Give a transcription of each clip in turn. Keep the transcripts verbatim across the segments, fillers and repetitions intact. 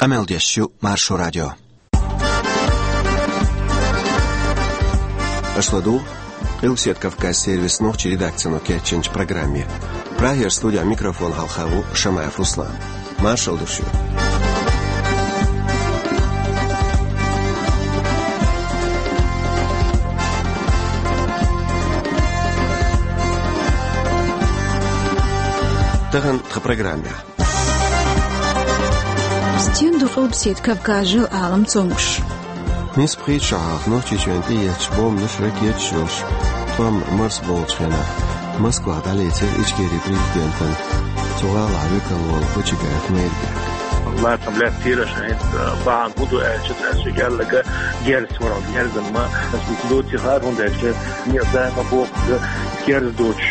Къамел деш ю Маршо радио. Аша ладугӀу Къилбаседа Кавказ сервисан нохчийн редакцино кечйинчу программе. Прагера студехь микрофон хьалха ву Шамаев Руслан. Маршалла ду шуьга. Тахана тхан программехь. Стен ду Къилбаседа Кавказан жил-Ӏалам цомгуш? Нийсса пхийтта шо хьалха Нохчийчоьнна тӀеетташ бомбанаш, ракеташ йолуш тӀом марсабовлучу хенахь Москвахь дӀалецира Ичкерин президентана цу гӀалахь векал волу Почигаев Майрбек. Лацам лаьттира шайн бахьана хӀун ду аьлча, цара соьга аьлларг герз вара, герзан ма, аса доций хаар, хӀунда аьлча, не, даима боху, герз доцуш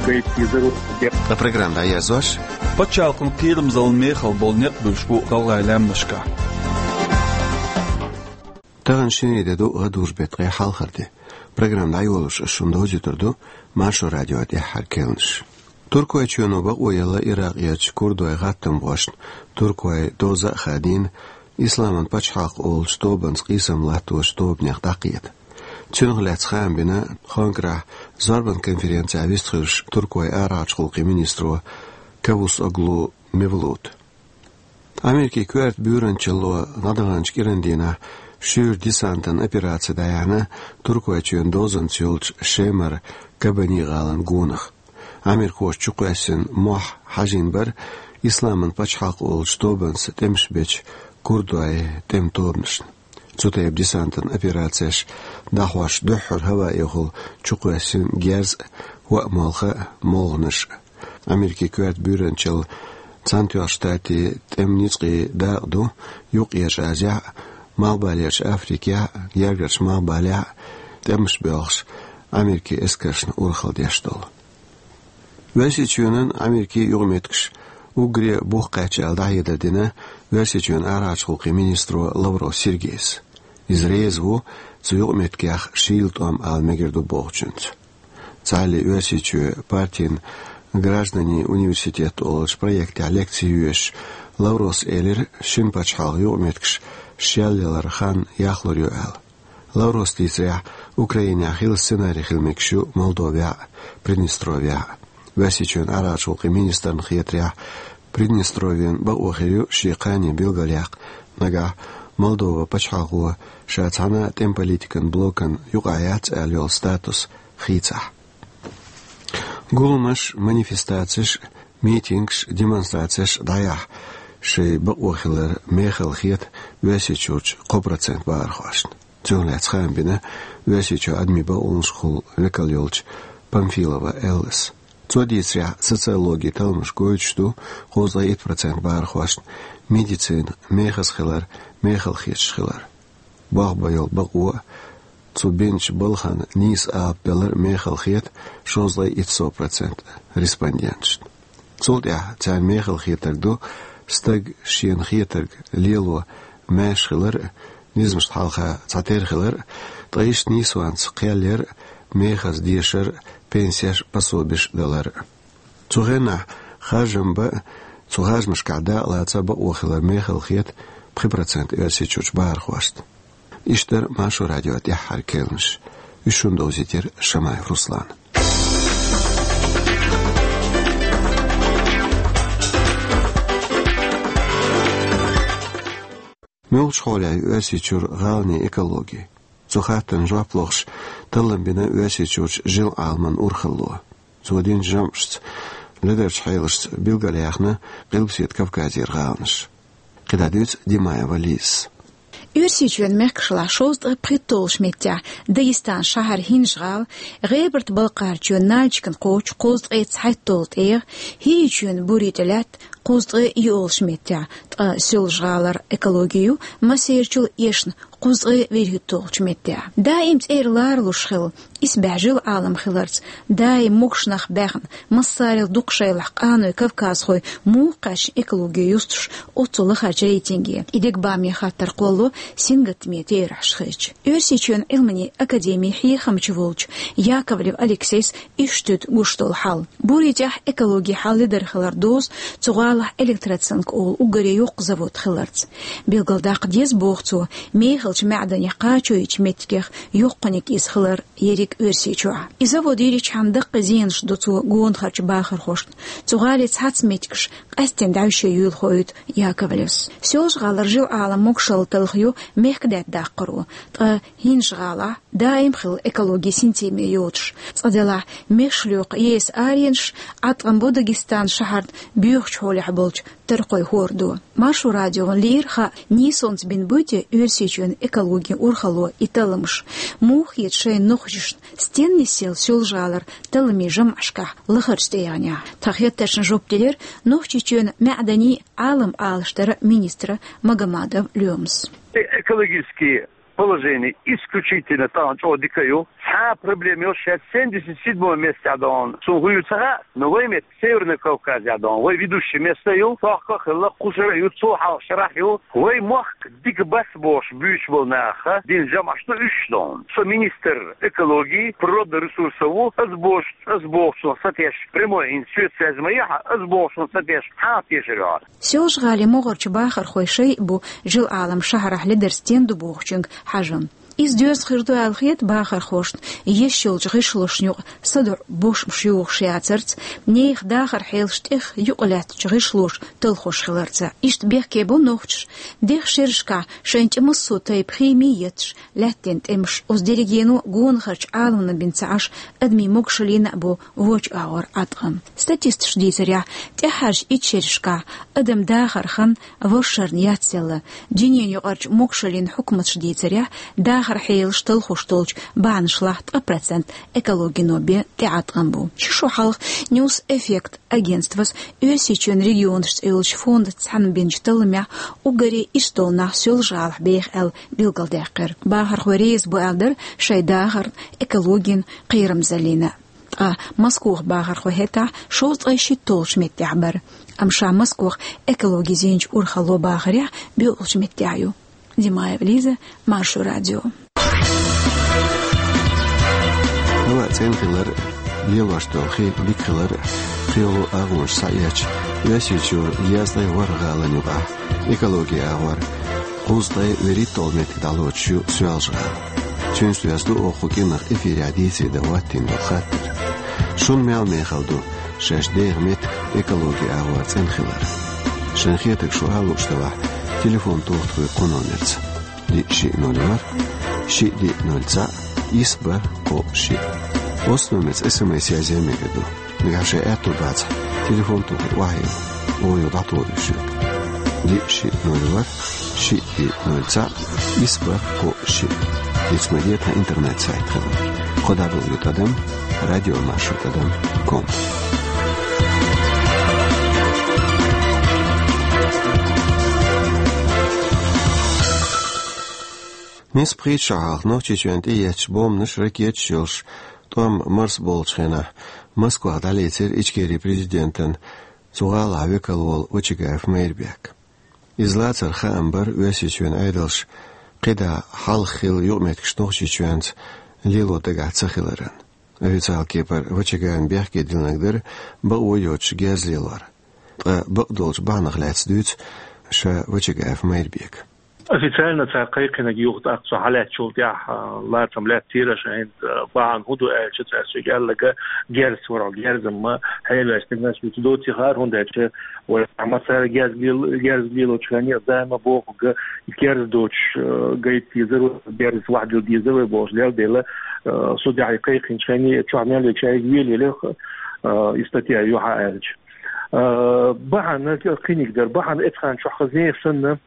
гайта дезара. Ткъа программа дӀаерзош. Пачхьалкхан кхерамзаллин мехала болу некъ буьллуш бу гӀалгӀайн лаьмнашкахь. Тахана шинарин де ду, гӀадужу беттан ткъе хьалхара де. Программа дӀайолош ас шуна довзуьйтур ду Маршо радион тӀаьххьара керланаш. Туркойчоьно бакъо елла Иракъерчу курдойн гӀаттамхошна, туркойн доза а хадийна, Исламан пачхьалкх олучу тобанца къийсам латточу тобанех дӀакхета. Цунах лаьцна хаам бина Анкарахь зорбан конференцехь вистхуьлуш туркойн арахьарчу гӀуллакхийн министро Кавусоглу Мевлута. Америкин коьрта буьйранчалло дӀадаханчу кӀиран дийнахь шуьйра десантан операци дӀаяьхьна Туркойчоьнан дозанца йолчу Шемара Кабани гӀалин гонах. Америкхоша чукхоьссина мохь хьажийна бара Исламан пачхьалкх олучу тобанца тӀемаш бечу курдойн тӀеман тобанашна. Цу тайпа десантан операцеш дӀахьош дуьххьара хӀаваэхула чукхоьссина герз а, хӀоа молха а, молханаш а. Америкин коьрта буьйранчалла Цхьаьнатоьхначу Штатийн тӀеман ницкъийн дакъа ду Юккъерчу Азехь а, Малхбалерчу Африкехь а, Гергарчу Малхбалехь а тӀемаш боьлхуш Америкин эскаршна урхалла деш долу. Оьрсийчоьнан Америкин юкъаметтигаш уггаре бух кхаьчна аьлла дӀахьедар дина Оьрсийчоьнан арахьарчу гӀуллакхийн министро Лавров Сергейс. Иза реза ву цу юкъаметтигех шийла тӀом ала мегар ду бохучуьнца. Цхьаьллий Оьрсийчоь партин «Граждане университета» олучу проектехь лекци йоьшуш Лавровс элира, шина пачхьалкхан юкъаметтигаш шелъяларан хан яхлур ю аьлла. Лавровс дийцарехь, Украинехь хилла сценарий хила мегаш ю Молдовехь а, Приднестровьехь а. Оьрсийчоьнан арахьарчу гӀуллакхийн министрна хетарехь, Приднестровен бакъо хир ю шен кхане билгалъяккха, нагахь Молдован пачхьалкхо ша цхьана а тӀеман политикан блокан юкъахь яц аьлла йолу статус хийцахь. Гуламаш, манифестацеш, митингаш, демонстрацеш дӀаяхьа шайн бакъо хилар мехала хета Оьрсийчуьрчу кхо процент бахархошна. Цунах лаьцна хаам бина Оьрсийчоьнан адамийн бакъонашкахула векал йолчу Памфилова Эллас. Цо дийцарехь, социологин талламаш гойтуш ду кхузткъе итт процент бахархошна медицина мехаза хилар мехала хеташ хилар. Болх бан йолу бакъо а, цу бинчу балхана нийса алапа далар а мехала хета шовзткъе итт сов процент респонденташна. Цул тӀаьхьа царна мехала хетарг ду стаг шена хетарг лело маьрша хилар а, низамашна хьалха цхьатерра хилар а, ткъа иштта нийсонца кхел яр а, мехаза дешар а, пенсеш а, пособеш а далар а. Цу хенахь харжам бан а, цу харжамашкахь дакъалаца а бакъо хилар мехала хета пхи процент Оьрсийчуьрчу бахархошна. Иштта дара Маршо радион тӀаьххьара керланаш. Уьш шуна довзийтира Шамаев Руслана. Муьлхачу хьолехь ю Оьрсийчуьра гӀаланийн экологи? Цу хаттарна жоп лохуш, таллам бина Оьрсийчуьрчу жил-Ӏаламан урхалло. Цо динчу жамӀашца ледарчу хьелашца билгалъяьхна Къилбаседа Кавказера гӀаланаш. КхидӀа дуьйцу Димаева Лизас. Оьрсийчоьнан мехкашлахь шовзткъе пхийтталгӀачу меттехь Дагестанан шахьар ХӀинжа-ГӀала, ГӀебарта-Балкхарчоьнан Нальчикан кхочуш кхузткъе цхьайтталгӀа тӀегӀа, ХӀийчоьнан Бури тӀе лаьтта кхузткъе йоьалгӀачу меттехь, ткъа Соьлжа-ГӀалара экологи ю массерачул эшна Узкъе вирхӀутталгӀачу меттехь. Даим цӀера ларалуш хила, исбаьхьа жил Ӏалам хиларца, даим могуш нах баьхна, массарел дукха шайлахь къаной кавказхой муха кхаьчна экологи юстуш оццу лахарчу рейтинге. И дегабаме хаттар кхолло сингаттаме терахьаш хилча. Оьрсийчоьнан Ӏилманийн академин хьехамча волчу Яковлев Алексейс иштта гуш долу хьал. Буритехь экологин хьал ледара хилар дозу цу гӀалахь Электроцинк олу уггаре йоккха завод хиларца. Билгалдаккха деза, боху цо, мехалчу маьӀданех кхачо йича меттигех йоккханиг иза хилар ерриг Оьрсийчохь. И завод йирчхьана даккхий зенаш ду цо гонахарчу бахархошна. Цу гӀалин цхьацца меттигаш къаьсттина дӀаьвше юьйлахо ю Яковлевс. Соьлжа-ГӀалара жил Ӏалам могушалла талхайо мехкадаьтта даккхаро, ткъа ХӀинжа-ГӀалахь даим хилла экологин синтеме йоцуш. Цкъа делахь, мешалоькху ЕС аренаш, Ӏаткъам бу Дагестанан шахьарна боьхачу хьолехь болчу таркхойн хӀордо. Маршо радиона лиира хаа, нийсонца бина буй те Оьрсийчоьнан экологин урхалло и талламаш. Муха хета шайна нохчашна, стенна нисъелла Соьлжа-ГӀалара талламийн жамӀашкахь лахарчу тӀегӀанехь? Тхан хеттаршна жоп делира Нохчийчоьнан маьӀданийн, Ӏалам алашдаран министра Магомадов Лёмас. Экологический положение исключительно тахана чӀогӀа дика ю. Цхьа а проблема йолуш, шаьш семьдесят седьмом месте а дон. Цунна хӀун ю ца хаьа, но вай меттиг Северный Кавказе а дон. Вай ведущий место ю, тохка а хилла, кху шарахь ю, цул хьалха шарахь ю. Вай мохк дика бац бохуш буьйцуш болу наха дина жамӀаш ду уьш дон. Со министр экологии, природных ресурсов ву, ас бохуш, ас бохучунах сатеш, прямой хӀинца соьца связь ма ехьа, ас бохучунах сатеш, хьан тешар ю хьо? Соьлжа-ГӀалин могӀарчу бахархойн шайн а бу жил Ӏалам шахьарахь ледар стен ду бохучуьнга хьажам. Иза доьзна хир ду аьлла хета бахархошна, еш йолчу гӀишлошна юкъа садаӀу бошмаш юхуш яцарца, нехан дахаран хьелаш тӀех юкъа лаьттачу гӀишлоша талхош хиларца. Иштта бехке бо нохчаш, дех шерашкахь шайна тӀе массо а тайпа хими етташ, лаьттина тӀемаш. Оцу дерригено гонахарчу Ӏаламна бен ца Ӏаш, адамийн могушаллина а бо вочу агӀор Ӏаткъам. Статисташа дийцарехь, тӀаьххьарчу итт шерашкахь адам дахар хан ворхӀ шарна яцделла. Дуьненаюкъарчу могушаллин хьукматаша дийцарехь, дахаран хьелаш талхош долчу бахьанашлахь ткъа процент экологино бен тӀеӀаткъам бу. Ши шо хьалха News Effect агентствос Оьрсийчоьнан регионаш цӀе йолчу фондаца цхьаьна бинчу талламехь уггаре ирс долу нах Соьлжа-ГӀалахь беха аьлла билгалдаьккхира. Бахархой реза бу аьлла дара шайн дахарна, экологина кхерамзаллина. Ткъа Москвахь бахархой хӀетахь шовзткъе шийтта долчу меттехь бара. Амма ша Москвахь экологи зийначу урхалло бахарехь боьалгӀачу меттехь ю. Димаева Лиза, Маршо радио. Хьала цӀена хилар, лелош долу хи дика хилар, кхело агӀонаш схьаэцча, Оьрсийчуьра езткъе ворхӀ гӀалин юкъахь экологи агӀор кхузткъе вуьрхӀитталгӀа меттиг дӀалоцуш ю Соьлжа-ГӀала. Цуьнца доьзна ду оха кху кӀиранах эфирехь дийцаре дан хӀоттийна долу хаттар. Шуна мел мехала ду шаьш деха меттиг экологи агӀор цӀена хилар? Шайн хетарг шу ала лууш делахь, телефон тоха тхоьга кху номерца: диъ шиъ ноль ворхӀ, шиъ диъ ноль цхьаъ, исс бархӀ кхоъ шиъ. Оцу номерца эс эм эс язъян мегар ду. Нагахь шайн аьтто бацахь, телефон тохий охьайилла, оха юха дӀатухур ю шуьга. Диъ шиъ ноль ворхӀ, шиъ диъ ноль цхьаъ, исс бархӀ кхоъ шиъ. Диц ма де тхан интернет-сайт хилла. Кхо дабл ю тӀадам радио маршо тӀадам ком. Нисбан пхийтта шо хьалха Нохчийчоьнна тӀеэцначу бомбанаш, ракеташ йолуш тӀом марсаболучу хенахь Москвахь дӀалецира Ичкерин президентан цу гӀалахь векал волу Вачагаев Майрбек. Иза лацар хаам бара Оьрсийчоьнан Ӏедалша кхидӀа хьалха хилла юкъаметтигаш Нохчийчоьнца лело дагахь ца хиларан. Официалан кепара Вачагаевна бехке диллинарг дара бакъо йоцуш герз лелор. Ткъа бакъдолчу бахьанах лаьцна дуьйцу ша Вачагаев Майрбека. Официально цара кхайкхинарг юха тӀаккха со хьалаьцначул тӀаьхьа, а, лацам лаьттира, ша хӀинца, а, бахьана хӀун ду аьлча, цара соьга аьлларг герз вара, герз-м хьеваьллачу стегнаш вуьту доций хаар, хӀунда аьлча вай массара герз лел-, герз лелочу хенахь даима бохург, герз доцуш, а, гайта дезара, герз вахьдила дезара вай бохуш лелла дела, а, со тӀаьхьа кхайкхинчу хенахь чохь мел векаш айга велаелира, а, и статья юьхьа аьлча. А, бахьана кхиниг дара, бахьана эцхьан чохь хазне санна,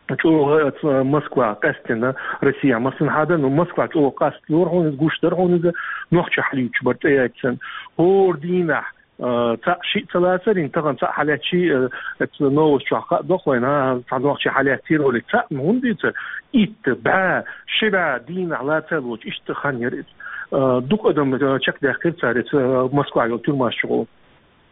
чӀогӀа, а, Москва къаьстина, Россия массанхьа дан, ну, Москва чӀогӀа къаст лора хьуна иза, гуш дара хьуна иза, нохча хьалуьйтуш бара тӀеэццан. ХӀора дийнахь Э, цхьаъ шиъ ца лацар, ин тахан цхьаъ хьалаьцчи, э, эцу новость чохь хаа дохойна, цхьа нохчи хьалаьццийра оле цхьаъ, ну, хӀунда ду ца? Итт бӀе, ши бӀе дийнахь лацар лоч, иштта хан яр иза. Э, дукха адам, э, чекхдаьккхира цара, эцу, э, Москва йолу тюрьмаш чу гӀо.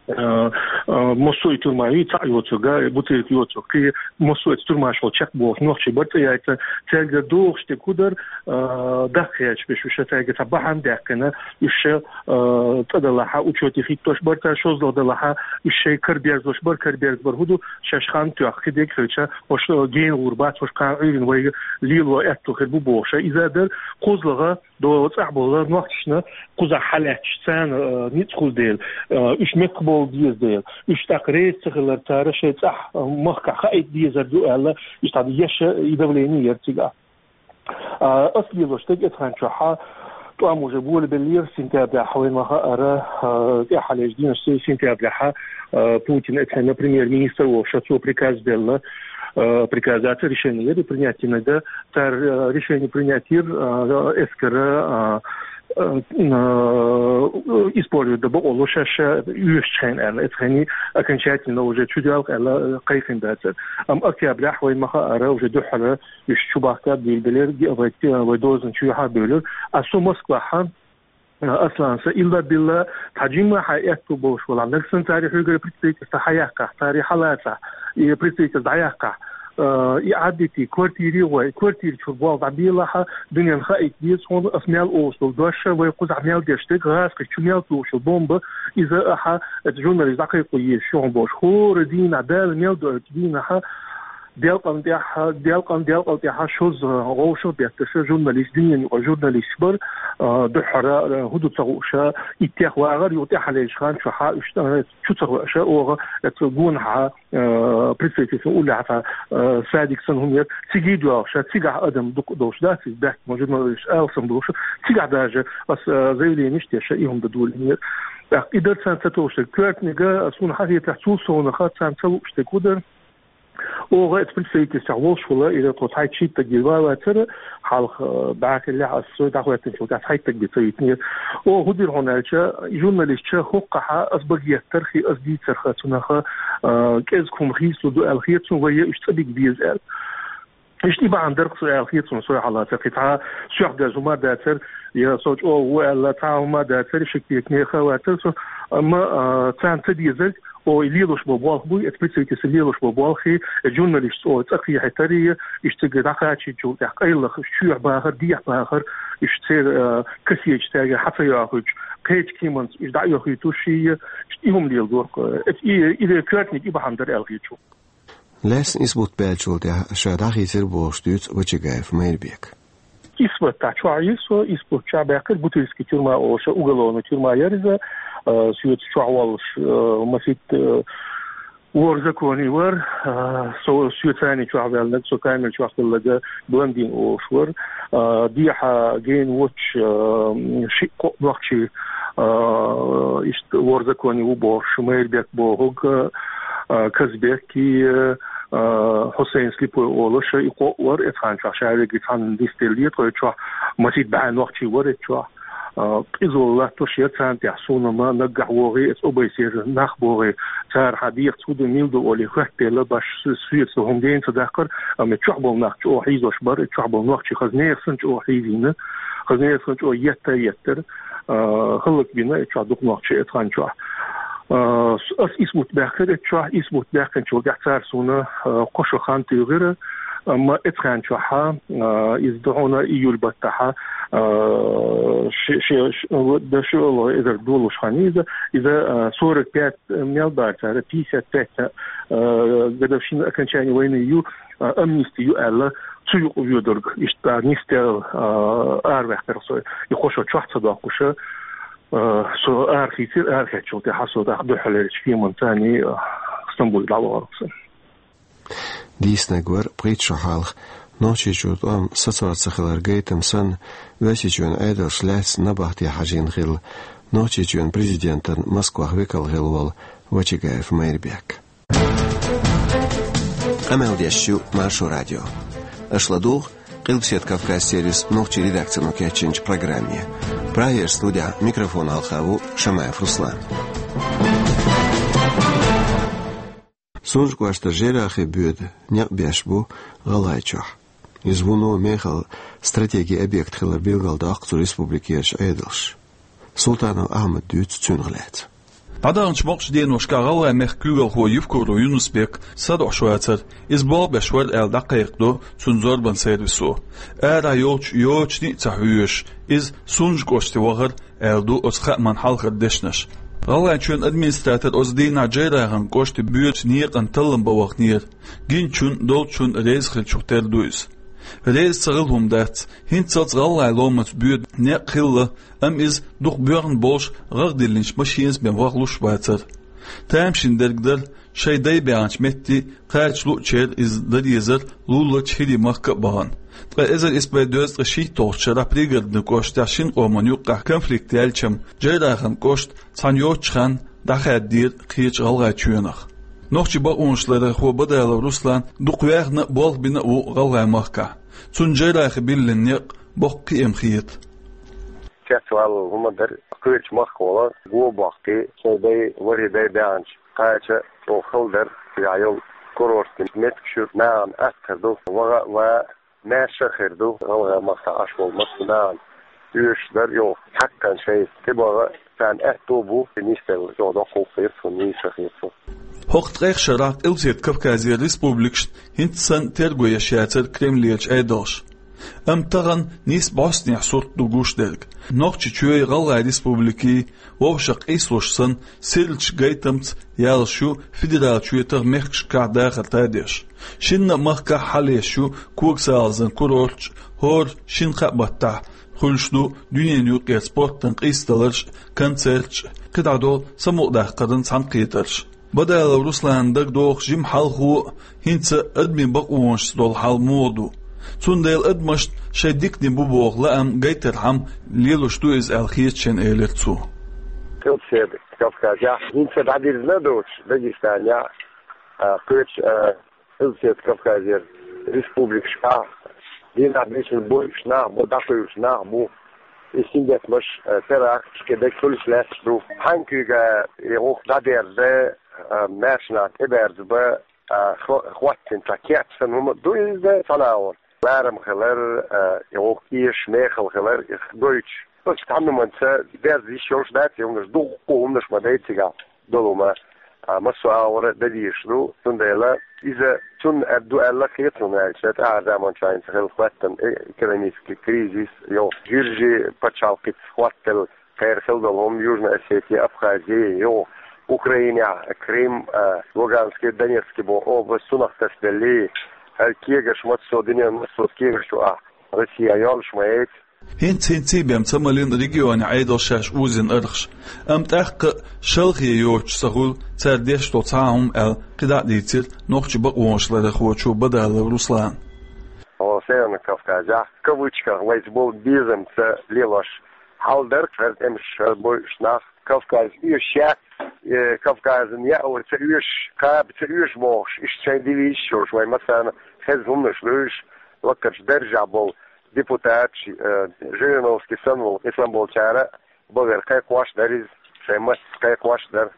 Э, э, массо а тюрьма ю, цхьаъ йоцург, бутылка йоцург, кхин массо а тюрьмаш чу чекхбохуш, нохчий бара цӀа яйца, цаьрга дохуш тӀе кудар, э, даккхаьча беш, уьш цаьрга цхьа бахьана даьккхина, уьш, э, цӀа далахьа, учёте хӀиттош бара цара, шозлагӀа далахьа, уьш шайн караберзош бара, караберза бара хӀун ду, шаьш хан тоьхна, кхидерг хилча, хӀорш, э, гена гӀур бац, хӀорш кхана Ӏуьйрина вайга лело аьтту хир бу бохуша, иза а дара, кхозлагӀа, до цӀахь болу нохчашна кхузахь хьалаьтташ, царна, э, ницкъ хуьлу дела, э, уьш мекхбовла деза дела, уьш тӀаккха реза ца хилар цара шайн цӀахь, э, махкахь хаийта дезар ду аьлла, иштта еш и давление яр цигахь. А, ас лелош дерг эцу хан чохьа, тӀом уже болабеллера, сентябряхь вайн ма хаара, э, тӀаьхьалечу дийнашца сентябряхьа, э, Путин эцхьана премьер-министр волуша, цо приказ делла, э, приказ дац, решение яр принять динарг, цара, э, решение принять йира, э, эскара, э, э, э, использовать дан бакъо ло шаьш ша оьшучу хенахь аьлла, эцу хенахь окончательно уже чудоьлху аьлла, э, кхайкхина дацара. Амма октябряхь вайн ма хаара уже дуьххьара уьш чу бахка буьйлабелира, вай, вай дозан чу юьхьа буьйлира. А со Москвахьа, Аслан, сан илла-билла цхьа жимма хьан аьтту болуш валахь, нагахь санна цара хьоьгара представительство хьаяккхахь, цара хьалацахь, и представительство дӀаяккхахь, э, и Ӏадитий, квартире гӀой, квартира чуьра болх дӀабелахьа, дуьненна хаийта деза хьуна, ас мел олуш долу дош, вай кхузахь мел деш дерг, гӀазкхи чу мел тухуш йолу бомба, иза ахьа, эцу журналист дӀакхайкхо езаш ю хьуна бохуш. ХӀора дийнахь, Дала мел доуьйту дийнахьа, делкъан тӀехь, делкъан, делкъал тӀехь шозза гӀовшах бетташа журналист, дуьненан юкъа журналист бара, а, дуьххьара, а, хӀун ду ца хууша, иттех вагӀар, юха тӀаьхьалечу хан чохьа уьш, а, чу ца хууша, оха, эцу гонахьа, а, представительство уллехьа, а, садик санна хӀума яр, цига доьлхуша, цигахь адам дукха долуш дац, иза баьхкина журналист алсам болуша, цигахь даже ас, а, заявление иштта теша, и хӀума дан долийна яр. ТӀаккха и дар царна ца товш дерг, коьртаниг, а, суна хьан хетарехь, цул совнаха царна ца лууш дерг хӀун дара? Оха эцу представительствехь волуш вала, иза тхо цхьайтта-шийтта стаг вацара, хьалха, э, бӀаьхиллехь ас со дӀахӀоьттинчул тӀаьхьа цхьайтта стаг бен ца витинера. Оха хӀун дира хьуна аьлча, журналистча хӀокхахьа ас багеттархи, ас дийцарха цунаха, э, кӀезиг хӀума хийцалур ду аьлла хета суна, вай уьш цӀа бига беза аьлла. Иштта и бахьана дара-кх со аьлла хета суна, со хьалацара кхин цхьа сох деза хӀума дацара, я со чӀогӀа ву аьлла, цхьа хӀума дацара, шек-текаменаха вацара со, амма, э, царна ца дезарг, О, и лелош бо болх буй, эцу представительство лелош бо болх и, э, журналистца, о, цӀа кхехьийтар и, иштта цига дӀакхачийчул тӀехь къайлах, уьш чоьхьа бахар, дехьа бахар, уьш церан, э, кассеташ цаьрга хьа ца йохуьйтуш, кхечу кеманца уьш дӀа а йохуьйтуш и, иштта и хӀума леладора-кх, э, эц-, и, и, и коьртаниг и бахьана дара аьлла хета суна. Лаьцна исбат баьллачул тӀаьхьа ша дӀахийцира бохуш дуьйцу Вачагаев Майрбека. Исбат тӀехь чохь йира со, исбат чохь баьккхира, Бутырский тюрьма олуш, уголовный тюрьма яра иза, а, соьца чохь воллуш, а, масийтта, а, ворхӀ законе вара, а, со, соьца цхьаьна чохь ваьлларг, со камера чохь хилларг блондин олуш вара, а, дехьа гена воцуш, а, шиъ-кхоъ нохчий, а, иштта ворхӀ законе ву бохуш, Майрбек бохург, а, Казбек и, а, Хьусайн Слепой олуш, и кхоъ вара, эцу хан чохь ша верг цхьаьна нисделла, тхой чохь масийтта бӀе нохчий вара эцу чохь. А, къизалла латтош яра царна тӀехь, суна ма наггахь вогӀий, эцу обайсера нах богӀий, цара хьан дехаца хӀун ду, мила ду олий, хоьттаделла, баш соьца хӀума гена ца даккхара, амма чохь болу нах чӀогӀа хьийзош бара, чохь болу нохчий хаза нехан санна чӀогӀа хьийзийна, хаза нехан санна чӀогӀа етта а еттара, а, хӀаллакбина эцу чохь дукха нохчий эцу хан чохь. А, с-, ас исбат баьккхира эцу чохь, исбат баьккхинчул тӀаьхьа цара суна, а, кхо шо хан туьйхира, амма эцу хан чохьа, а, иза ду хьуна июль баттахьа, а, ши-, ши-, ши-, дан ши олу эзар долуш хан иза, иза, а, сорок пять мел бара цара, пятьдесят пять, а, годовщина окончания войны ю, а, амнисти ю аьлла, цу юкъа воьдург, иштта нисделла, а, араваьккхира со, и кхо шо чохь ца доккхуша, а, со арахийцира, арахецчул тӀаьхьа со тӀаккха дуьххьалерчу кеманца царний, а, Стамбуле дӀавахара со. Дийцинарг вара пхийтта шо хьалха, Нохчийчуьра тӀом сацор ца хилар гайтам санна, Оьрсийчоьнан Ӏедалша лаьцна набахте хьажийна хилла, Нохчийчоьнан президентан Москвахь векал хилла волу Вачагаев Майрбек. Къамел деш ю Маршо радио. Аша ладугӀу Къилбаседа Кавказ сервисан нохчийн редакцино кечйинчу программе. Прагера студехь микрофон хьалха ву Шамаев Руслан. Сунжа кӀоштара жайрахе боьда некъ беш бу ГӀалгӀайчохь. Иза вуно мехала стратегин объект хилар билгалдоккху цу республикерчу Ӏедалша. Султанов Ахьмада дуьйцу цунах лаьцна. ДӀадаханчу боккхачу деношкахь ГӀалгӀай мехкан куьйгалхо Евкуров Юнус-Бек садоӀуш вацара, иза болх беш вара аьлла дӀакхайкхадо цунна зорбанан сервисо. Арахь йолчу йочане а ца хьоьжуш, иза Сунжа кӀоште вахара, аьлла ду оцу хааман хьалхара дешнаш. ГӀалгӀайчоьнан администратор оцу дийнахь Джейрахана кӀоште боьдучу некъана таллам бан ваханера. Гиначунна, долчунна реза хиллачух тера ду иза. Реза ца хила хӀума дац, хӀинццалц ГӀалгӀай ломанца боьду некъ хилла, амма иза дукха боьхна болуш гӀагӀ диллинчу машенца бен вахалуш вацара. Тамашийна дерг дара, шайн дай баьхначу метте кхача луучеран иза дан дезара луларчу ХӀирийн махка а бахана. Ткъа эзар исс бӀе дезткъе шийтталгӀачу шарахь Пригородни кӀоштахь шина къоман юккъехь конфликт яьлча-м, Джейрахана кӀошт цхьана йоцучу ханна дӀахаьддера кхечу ГӀалгӀайчоьнах. Нохчийн бакъонашларъярхо Бадалов Руслан дукха ваьхна а, болх бина а ву ГӀалгӀай махкахь. Цунна Джейрахе биллина некъ боккха кхиам хета. Цецвала хӀума дара, кхечу махкахула го боккхий, шайн дай, ворхӀе дай баьхначу кхача чӀогӀа хала дара, цигахь йолу курортийн меттигаш ю, нахана атта хир ду, ваха а ван, маьрша а хир ду, ГӀалгӀай махкахь Ӏаш болу массо а нахана оьшуш дара, йо, хьаккхана шайца тӀебаха, царна аьтто а бу, нисделла чӀогӀа доккха гӀуллакх хета суна, нийса хета суна. ХӀокху ткъех шарахь Къилбаседа Кавказера республикашна хӀинца санна терго еш яцара Кремлерчу Ӏедалша. Амма тахана нийса бӀостанехьа сурт ду гуш дерг. Нохчийчоьнан, ГӀалгӀайн республикийн вовшах къийсалуш санна, сирлачу гайтамца яллаш ю федералан чоьтах мехкашкахь дахар тадеш. Шинна а махкахь хьалаеш ю когасалазан курорташ, хӀора шина-кхаа баттахь хуьлуш ду дуьненан юкъара спортан къийсадаларш а, концерташ а, кхидӀа долу самукъадаккхаран цхьаьнакхетарш. Бадалов Русланна дагадогӀуш жима хьалхо а, хӀинца а адамийн бакъонашца долу хьал муха ду. Цундела адамашна шайн диканиг бу боху лаам гайтархьама лелош ду иза аьлла хета шена, элира цо. Къилбаседа Кавказехь хӀинца дӀадирзина а доцуш, Дагестанехь а, кхечу а, Къилбаседа Кавказера республикашкахь дийнахь бийшина бойуш нах бу, дӀакхуьйлуш нах бу. И сингаттамаш, а, теракташ, кхин дерг хуьлуш лаьтташ ду. Хьаьнга куьйга и гӀуллакх дӀадерза, а, маьрша нах тӀеберзабан, а, хо-, хӀоттийна цхьа кеп санна хӀума ду иза, цхьана агӀор. Ларам хилар, а, и гӀуллакх эшаш, мехала хилар, и гойтуш. Оцу цхьана хӀуманца дерза йиш йолуш дац, и хӀуманаш дуккха хӀуманаш ма дай цигахь долу хӀума, а, массо а агӀора дан дезаш ду, цундела иза цунна а ду аьлла хета суна, аьлча, тӀаьхьара заманчохь хӀинца хилла хӀоттам, э, экономический кризис, йо, Гуьржийн пачхьалкхица хӀоттаделла кхеран хилла долу хӀума, Южная Осетия, Абхазия, йо, Украинехь, Крым, а, Луганский, Донецкий боху область, цунах тасаделлий, хӀара кегаш массо а, дуьненан массо а кегаш чу ахь Россия йолуш ма яц. ХӀинц-хӀинций бен ца малийна регионан Ӏедалша шаьш узийна архаш. Амма тӀаккха а шалхе йоцуш ца хуьлу цара деш долу цхьа а хӀума аьлла, кхидӀа а дийцира нохчийн бакъонашларъярхочо Бадалов Руслана. Хьо Северный Кавказехь, в кавычках, вайца болу безамца лелош хьал дара, хӀара тӀемаш, хӀара бойуш нах, Кавказ оьшуш яц, э, Кавказан яа вай ца оьшу, кхаба ца оьшу бохуш, иштта шайн девизаш йолуш, вайн массарна хезна хӀуманаш ду уьш, лакхарчу даржехь болу депутаташ, э, Жириновский санна волу, и санна болчара а бахара кхайкхош дара иза, шайн маттаца кхайкхош дара.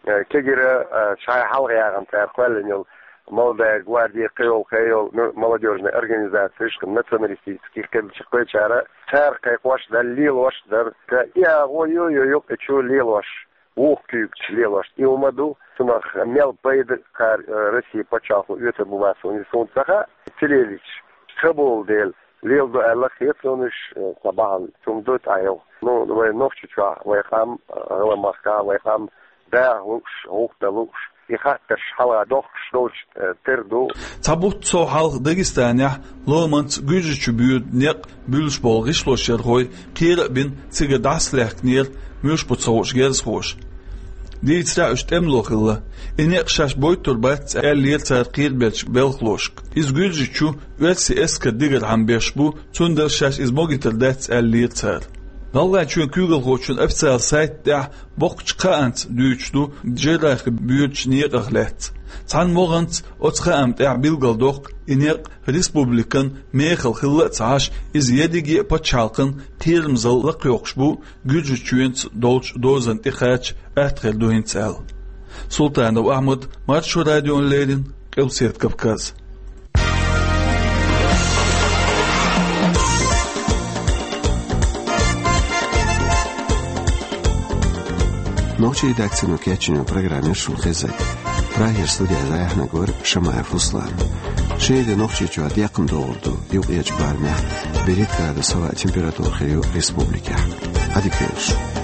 Э, кегира, э, шайн хьалха яхана цара кхоьллина йолу «Молодая гвардия», кхин йолу, кхин йолу, ну, молодёжная организация, ишкъа националистический, кхин чу кхечара, цара кхайкхош дара, лелош дара. Ка и агӀо ю, ю, ю, и чу лелош, вукху куьйгачу лелош. И хӀума ду, цунах мел пайда кхара, э, Россия пачхьалкхо оьцур бу бац, хӀунда суна ца хаьа, ца лелийча, ца болу дела, леладо аьлла хета суна уьш, э, цхьа бахьана, цунна ду тӀаьхьа йогӀу. Ну, вай Нохчийчохь, вай къам, э, гӀалгӀай махкахь, вай къам даха лууш, гӀуллакх дан лууш, и хаттарш хьалха дохкуш долчу, э, тера ду. Цхьа бутт сов хьалха Дагестанехь ломанца Гуьржийчу боьду некъ буьллуш болу гӀишлошъярхой кхера а бина, цигара дӀасалаьхкинера муьлш бу ца хууш герзахоша. Дийцарехь, уьш тӀемало хилла. И некъ шаьш бойтур бац аьллера цара кхерабеллачу белхалошка. Иза Гуьржийчу оьрсийн эскаран дигархьама беш бу, цундела шаьш иза могуьйтур дац аьллера цара. ГӀалгӀайчоьнан куьйгалхочун официалан сайта тӀехь боккхачу кхаанца дуьйцуш ду Джейрахе боьдучу некъах лаьцна. Цхьана могӀанца оцу хаам тӀехь билгалдоккху, и некъ республикан мехала хилла а ца Ӏаш, иза ерриге а пачхьалкхан кхерамзалла лакхайоккхуш бу, Гуьржийчоьнца долчу дозанна тӀекхача атта хир ду хӀинца аьлла. Султанов Ахьмад, Маршо радиона леррина, Къилбаседа Кавказ. Нохчийн редакцино кечйина программа яра шуна хезнарг. Прагера студехь дӀаяьхьнарг вара Шамаев Руслан. Шен де Нохчийчохь декхна догӀур ду, юккъерчу барамехь берхӀитта градус хилла температура хир ю республикехь. Ӏадика йойла шун.